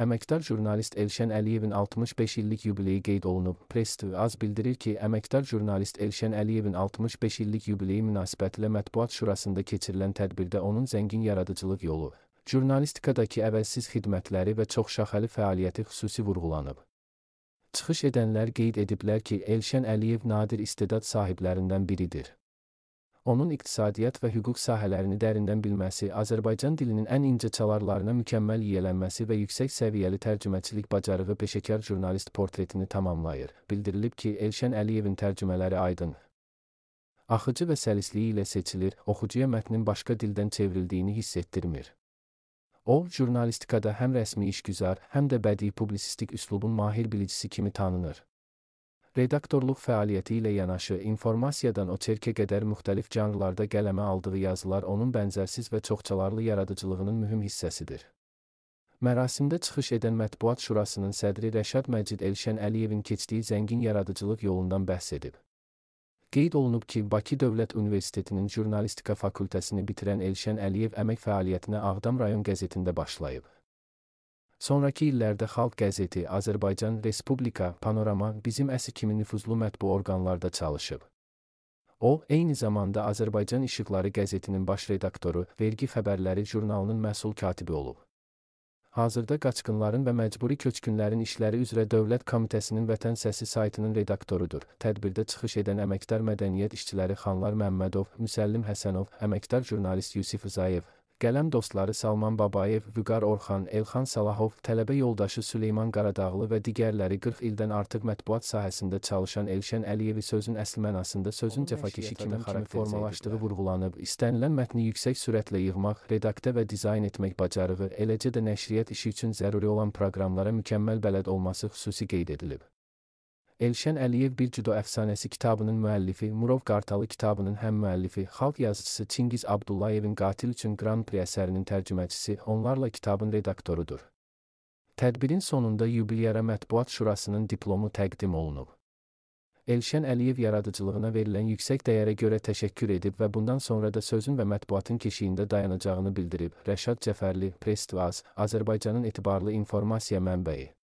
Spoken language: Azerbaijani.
Əməkdar jurnalist Elşən Əliyevin 65 illik yubileyi qeyd olunub. Press.az bildirir ki, əməkdar jurnalist Elşən Əliyevin 65 illik yubileyi münasibətilə Mətbuat Şurasında keçirilən tədbirdə onun zəngin yaradıcılıq yolu, jurnalistikadakı əvəzsiz xidmətləri və çoxşaxəli fəaliyyəti xüsusi vurğulanıb. Çıxış edənlər qeyd ediblər ki, Elşən Əliyev nadir istedad sahiblərindən biridir. Onun iqtisadiyyat və hüquq sahələrini dərindən bilməsi, Azərbaycan dilinin ən incə çalarlarına mükəmməl yiyələnməsi və yüksək səviyyəli tərcüməçilik bacarığı peşəkar jurnalist portretini tamamlayır. Bildirilib ki, Elşən Əliyevin tərcümələri aydın, axıcı və səlisliyi ilə seçilir, oxucuya mətnin başqa dildən çevrildiyini hiss etdirmir. O, jurnalistikada həm rəsmi işgüzar, həm də bədii publisistik üslubun mahir bilicisi kimi tanınır. Redaktorluq fəaliyyəti ilə yanaşı, informasiyadan oçerkə qədər müxtəlif janrlarda qələmə aldığı yazılar onun bənzərsiz və çoxçalarlı yaradıcılığının mühüm hissəsidir. Mərasimdə çıxış edən Mətbuat Şurasının sədri Rəşad Məcid Elşən Əliyevin keçdiyi zəngin yaradıcılıq yolundan bəhs edib. Qeyd olunub ki, Bakı Dövlət Universitetinin jurnalistika fakültəsini bitirən Elşən Əliyev əmək fəaliyyətinə Ağdam rayon qəzetində başlayıb. Sonrakı illərdə Xalq qəzeti, Azərbaycan Respublika, Panorama, Bizim Əsi kimi nüfuzlu mətbu orqanlarda çalışıb. O, eyni zamanda Azərbaycan İşıqları qəzetinin baş redaktoru, Vergi Xəbərləri jurnalının məsul katibi olub. Hazırda Qaçqınların və Məcburi Köçkünlərin İşləri üzrə Dövlət Komitəsinin Vətən Səsi saytının redaktorudur. Tədbirdə çıxış edən əməkdar mədəniyyət işçiləri Xanlar Məmmədov, Müsəllim Həsənov, əməkdar jurnalist Yusif Rzayev, qələm dostları Salman Babayev, Vüqar Orxan, Elxan Salahov, tələbə yoldaşı Süleyman Qaradağlı və digərləri 40 ildən artıq mətbuat sahəsində çalışan Elşən Əliyevi sözün əsl mənasında sözün cəfakeşi kimi formalaşdığı vurğulanıb, istənilən mətni yüksək sürətlə yığmaq, redaktə və dizayn etmək bacarığı, eləcə də nəşriyyat işi üçün zəruri olan proqramlara mükəmməl bələd olması xüsusi qeyd edilib. Elşən Əliyev Bir Cüdo Əfsanəsi kitabının müəllifi, Murov Qartalı kitabının həm müəllifi, xalq yazıçısı Çingiz Abdullayevin Qatil üçün Grand Prix əsərinin tərcüməçisi, onlarla kitabın redaktorudur. Tədbirin sonunda yubilyara Mətbuat Şurasının diplomu təqdim olunub. Elşən Əliyev yaradıcılığına verilən yüksək dəyərə görə təşəkkür edib və bundan sonra da sözün və mətbuatın keşiyində dayanacağını bildirib. Rəşad Cəfərli, Press.az, Azərbaycanın etibarlı informasiya mənbəyi.